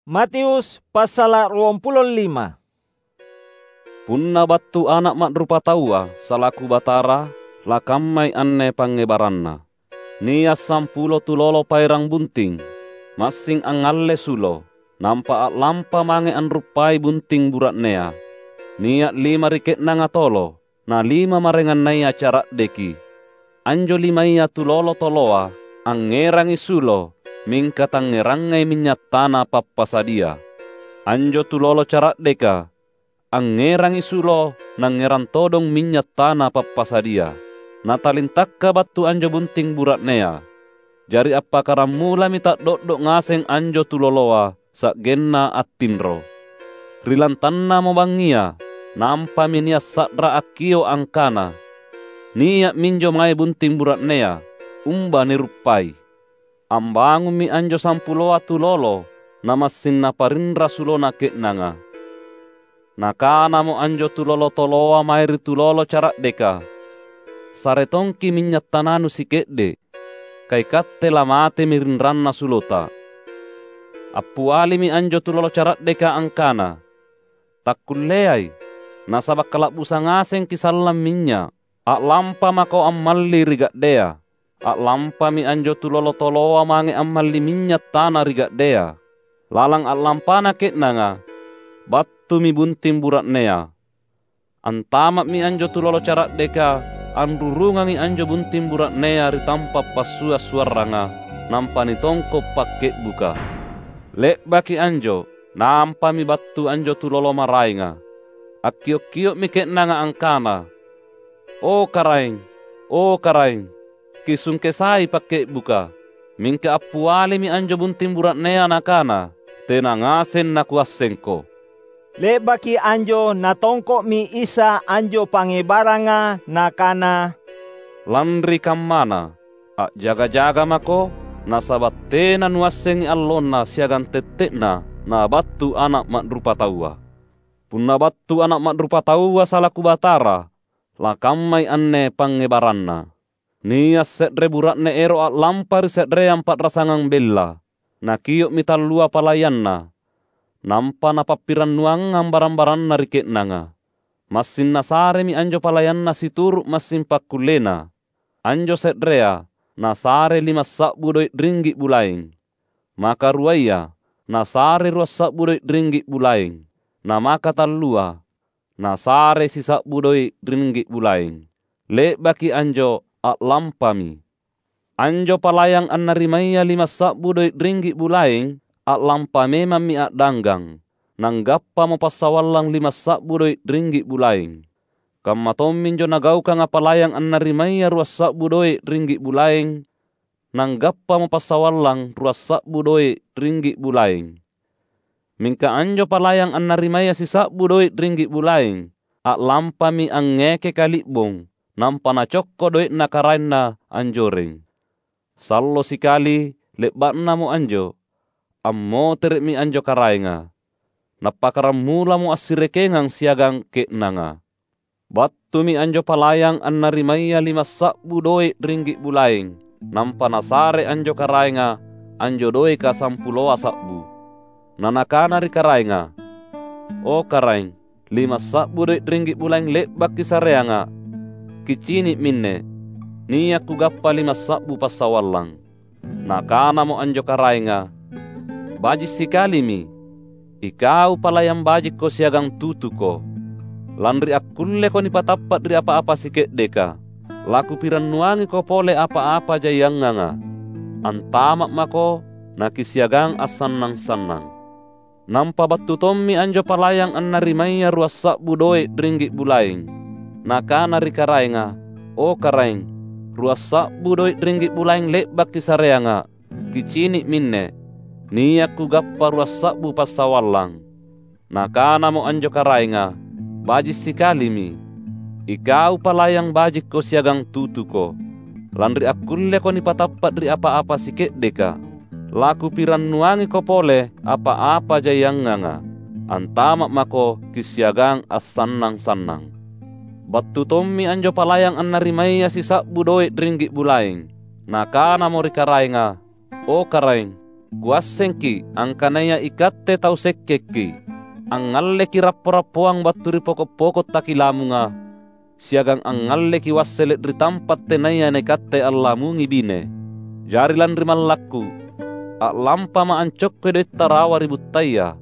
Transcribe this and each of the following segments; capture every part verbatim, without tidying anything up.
Matius passala' ruampulo lima. Punna battu Ana' Ma'rupataua salaku Batara, lakammai anne pangngebaranna. Nia' sampulo tulolo paerang bunting, massing angngalle sulo, nampa a'lampa mange anruppai bunting bura'nea. Nia' lima ri ke'nanga tolo, na lima maraengannaya cara'deki. Anjo limaya tulolo toloa angngerangi sulo, mingka tangngerangai minnya' tana pappasadia. Anjo tulolo cara'deka angngerangi sulo, nangngerang todong minnya' tana pappasadia. Natalintakka battu anjo bunting bura'nea. Jari appakkaramulami ta'do'do' ngaseng anjo tuloloa, sa'genna attinro. Ri lantannamo bangngia, nampami nia' sa'ra akkio' angkana, "Nia' minjo mae bunting bura'nea, umba niruppai." Ambangummi anjo sampuloa tulolo, namassing naparinra sulona ke'nanga. Nakanamo anjo tulolo toloa mae ri tulolo cara'deka, "Sare tongki' minnya' tananu sike'de', ka ikatte lamatemi rinranna sulota." Appialimi anjo tulolo cara'deka angkana, "Takkulleai, nasaba' kala'busa ngasengki' sallang minynya'. A'lampa mako ammalli ri ga'dea." A'lampami anjo tulolo toloa mange ammalli minynya' tana ri ga'dea. Lalang a'lampana ke'nanga, battumi bunting bura'nea. Antama'mi anjo tulolo cara'deka, anrurungangi anjo bunting bura'nea ri tampa' passua'-suarranga, nampa nitongko' pakke'buka. Le'baki anjo, nampami battu anjo tulolo maraenga. Akkio'-kio'mi ke'nanga angkana, "O Karaeng, o Karaeng, kisungkesai pakke'buka." Mingka appialimi anjo bunting bura'nea nakana, "Tena ngaseng nakuassengko." Le'baki anjo Natongko'mi Isa anjo pangngebaranga, Nakana, "Lanri kammana, a'jaga-jaga mako, nasaba' tena nuassengi allonna siagang tette'na nabattu Ana' Ma'rupataua. Punna battu Ana' Ma'rupataua salaku Batara, lakammai anne pangngebaranna." Nia' se're bura'ne ero' a'lampa ri se'reang pa'rasangang bella. Nakio'mi tallua palayanna, nampa napappirannuangang barang-baranna ri ke'nanga. Massing nasaremi anjo palayanna situru' massing pakkullena. Anjo se'rea nasare limassa'bu doe' ringgi' bulaeng. Maka ruaya nasare ruassa'bu doe' ringgi' bulaeng. Na maka tallua nasare sisa'bu doe' ringgi' bulaeng. Le'baki anjo a'lampami. Anjo palayang annarimaya limassa'bu doe' ringgi' bulaeng, a'lampa memammi a'danggang. Nanggappamo passawallang limassa'bu doe' ringgi' bulaeng. Kamma tomminjo nagaukanga palayang annarimaya ruassa'bu doe' ringgi' bulaeng, nanggappamo passawallang ruassa'bu doe' ringgi' bulaeng. Mingka anjo palayang annarimaya sisa'bu doe' ringgi' bulaeng, a'lampami angngeke kali'bong, nampa nacokko doe'na karaenna anjoreng. Sallo sikali le'ba'namo anjo, ammotere'mi anjo karaenga. Nappakkaramulamo assirekengang siagang ke'nanga. Battumi anjo palayang annarimaya limassa'bu doe' ringgi' bulaeng, nampa nasare anjo karaenga anjo doeka sampuloa sa'bu. Na nakana ri karaenga, "O karaeng, limassa'bu doe' ringgi' bulaeng le'baki sareanga'. Kicini' minne, nia' kugappa limassa'bu passawallang." Nakanamo anjo karaenga, "Baji' sikalimi, ikau palayang bajikko siagang tutuko! Lanri akkulleko nipatappa' ri apa-apa sike'deka. Lakupirannuangiko pole apa-apa jaianganga. Antama' mako nakisiagang assannang-sannang." Nampa battu tommi anjo palayang annarimaya ruassa'bu doe' ringgi' bulaeng. Nakana ri karaenga, "O karaeng, ruassa'bu doe' ringgi' bulaeng le'baki sareanga'. Kicini' minne, nia' kugappa ruassa'bu passawallang." Nakanamo anjo karaenga, "Baji' sikalimi, ikau palayang bajikko siagang tutuko! Lanri akkulleko nipatappa' ri apa-apa sike'deka. Lakupirannuangiko pole apa-apa jaianganga. Antama' mako kisiagang assannang-sannang." Battu tommi anjo palayang annarimaya sisa'bu doe' ringgi' bulaeng. Nakanamo ri karaenga, "O karaeng, Kuassengki’ angkanaya ikatte tau sekkekki’. Angngalleki’ rappo-rappoang battu ri poko’-poko’ takilamunga, siagang angngalleki’ wassele’ ri tampa’ tenaya naikatte allamungi bine. Jari lanri mallakku, a'lampama’ ancokkoi doetta rawa ri buttaya.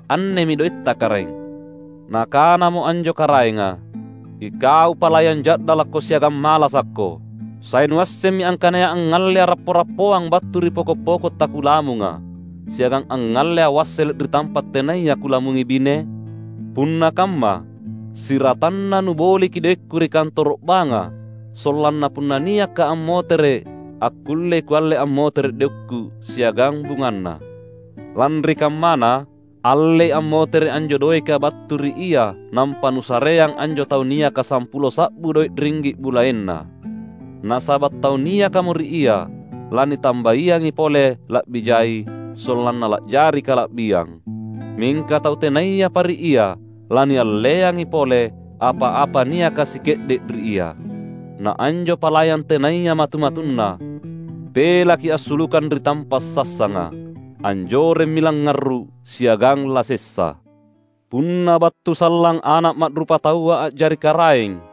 Annemi doetta, Karaeng.’ Nakanamo anjo karaenga, ‘Ikau palayang ja'dalakko siagang malasakko! Sai nuassemmi angkanaya angngallea’ rappo-rappoang battu ri poko’-poko’ takulamunga, siagang angngallea’ wassele’ ri tampa’ tenaya kulamungi bine? Punna kamma, siratanna nuboliki’ doekku ri kantoro’ banga, sollanna punna niakka’ ammotere’, akkullei kualle ammotere’ doekku siagang bunganna. Lanri kammana, allei ammotere’ anjo doeka battu ri ia nampa nusareang anjo tau niaka sampulo sa'bu doe’ ringgi’ bulaenna. Nasaba’ tau niakamo ri ia, lanitambaiangi pole la'bi jai, sollanna la'jari kala'biang. Mingka tau tenayapa ri ia, lanialleangi pole apa-apa niaka sike'de’ ri ia. Na anjo palayang tenaya matu-matunna, pelaki assulukang ri tampa’ sassanga. Anjoremmi langngarru’ siagang lasessa. Punna battu sallang Ana’ Ma'rupataua a'jari Karaeng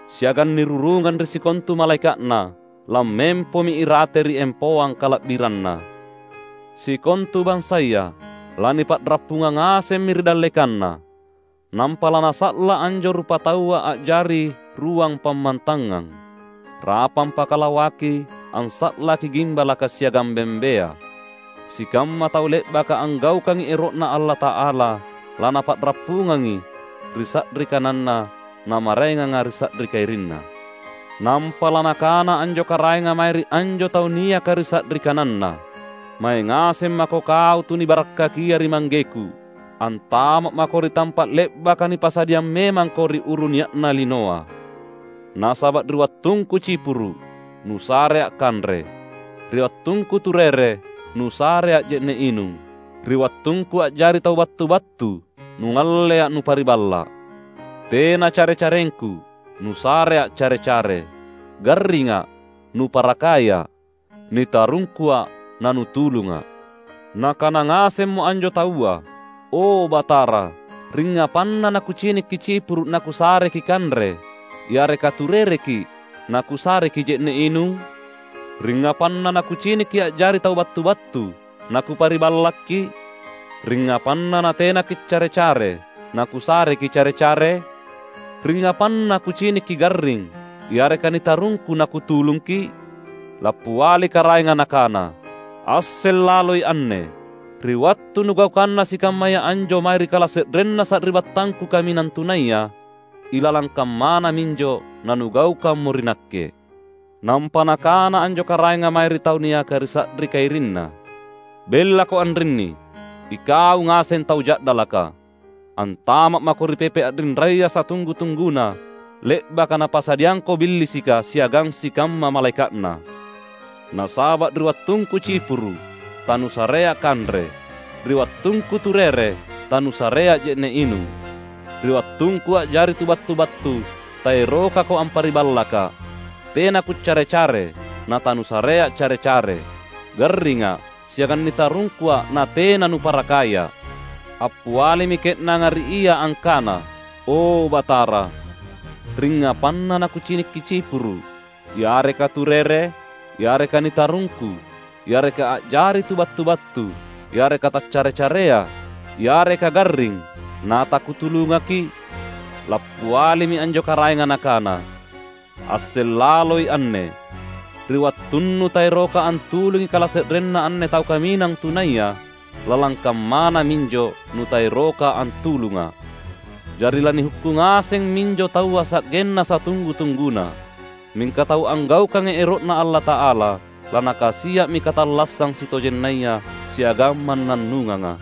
siagang nirurungang ri sikontu malaeka'Na, lammempomi irate ri empoang kala'biranNa. Sikontu bansaya lanipa'rappungang ngasemmi ri dallekanNa. Nampa lanasa'la anjo rupataua a'jari ruang pammantangang. Rapang pakalawaki, ansa'laki gimbalaka siagang bembea. Sikamma tau le'baka anggaukangi ero'Na Allata'ala, lanapa'rappungangi ri sa'ri kananNa, namaraenganga ri sa'ri kairinNa. Nampa lanakana anjo karaenga mae ri anjo tau niaka ri sa'ri kananNa, "Mae ngaseng mako kau tu nibarakkakia ri ManggeKu. Antama’ mako ri tampa’ le'baka nipasadiang memangko ri uru nia'na linoa. Nasaba’ ri wattungKu cipuru’, nusarea’ kanre. Ri wattungKu turere, nusarea’ je'ne’ inung. Ri wattungKu a'jari tau battu-battu, nungallea’ nupariballa’. Tena care-carengKu, nusarea’ care-care. Garringa’, nuparakaya’. NitarungkuA’, nanutulunga’." Nakana ngasemmo anjo taua, "O Batara, ringngapanna nakucinikki cipuru’ nakusareki kanre, yareka turereki’ nakusareki je'ne’ inung? Ringngapanna nakucinikki a'jari tau battu-battu, nakupariballakki’? Ringngapanna natena kiccare-care, nakusareki care-care? Ringngapanna kucinikki garring, yareka nitarungku nakutulungki’?" Lappiali karaenga nakana, "Asseng laloi anne. Ri wattu nugaukanna sikammaya anjo mae ri kalase'renna sari'battangku kaminang tunaya, ilalang kammana minjo nanugaukammo ri nakke." Nampa nakana anjo karaenga mae ri tau niaka ri sa'ri kairinna, "Bellako anrinni, ikau ngaseng tau ja'dalaka. Antama’ mako ri pepe a'rinraya satunggu-tungguna, le'baka napasadiangko Billisika siagang sikamma malaeka'na. Nasaba’ ri wattungku cipuru’, tanusarea kanre. Ri wattungku turere, tanusarea je'ne’ inung. Ri wattungku a'jari tu battu-battu, taerokako ampariballaka’. Tena kuccare-care, natanusarea care-care. Garringa’, siagang nitarungkuA’ natena nuparakaya’." Appialimi ke'nanga ri Ia angkana, "O Batara, ringngapanna nakucinikki cipuru’, yareka turere, yareka nitarungku, yareka a'jari tu battu-battu, yareka taccare-carea, yareka garring, natakutulungaki’?" Lappialimi anjo karaenga nakana, "Asseng laloi anne. Ri wattunnu taeroka antulungi kalase'renna anne tau kaminang tunaya, lalang kammana minjo nutaeroka antulunga’. Jari lanihukkung ngaseng minjo taua sa'genna satunggu-tungguna. Mingka tau anggaukangi ero'Na Allata'ala, lanakasia'mi katallassang sitojennaya siagang mannannunganga."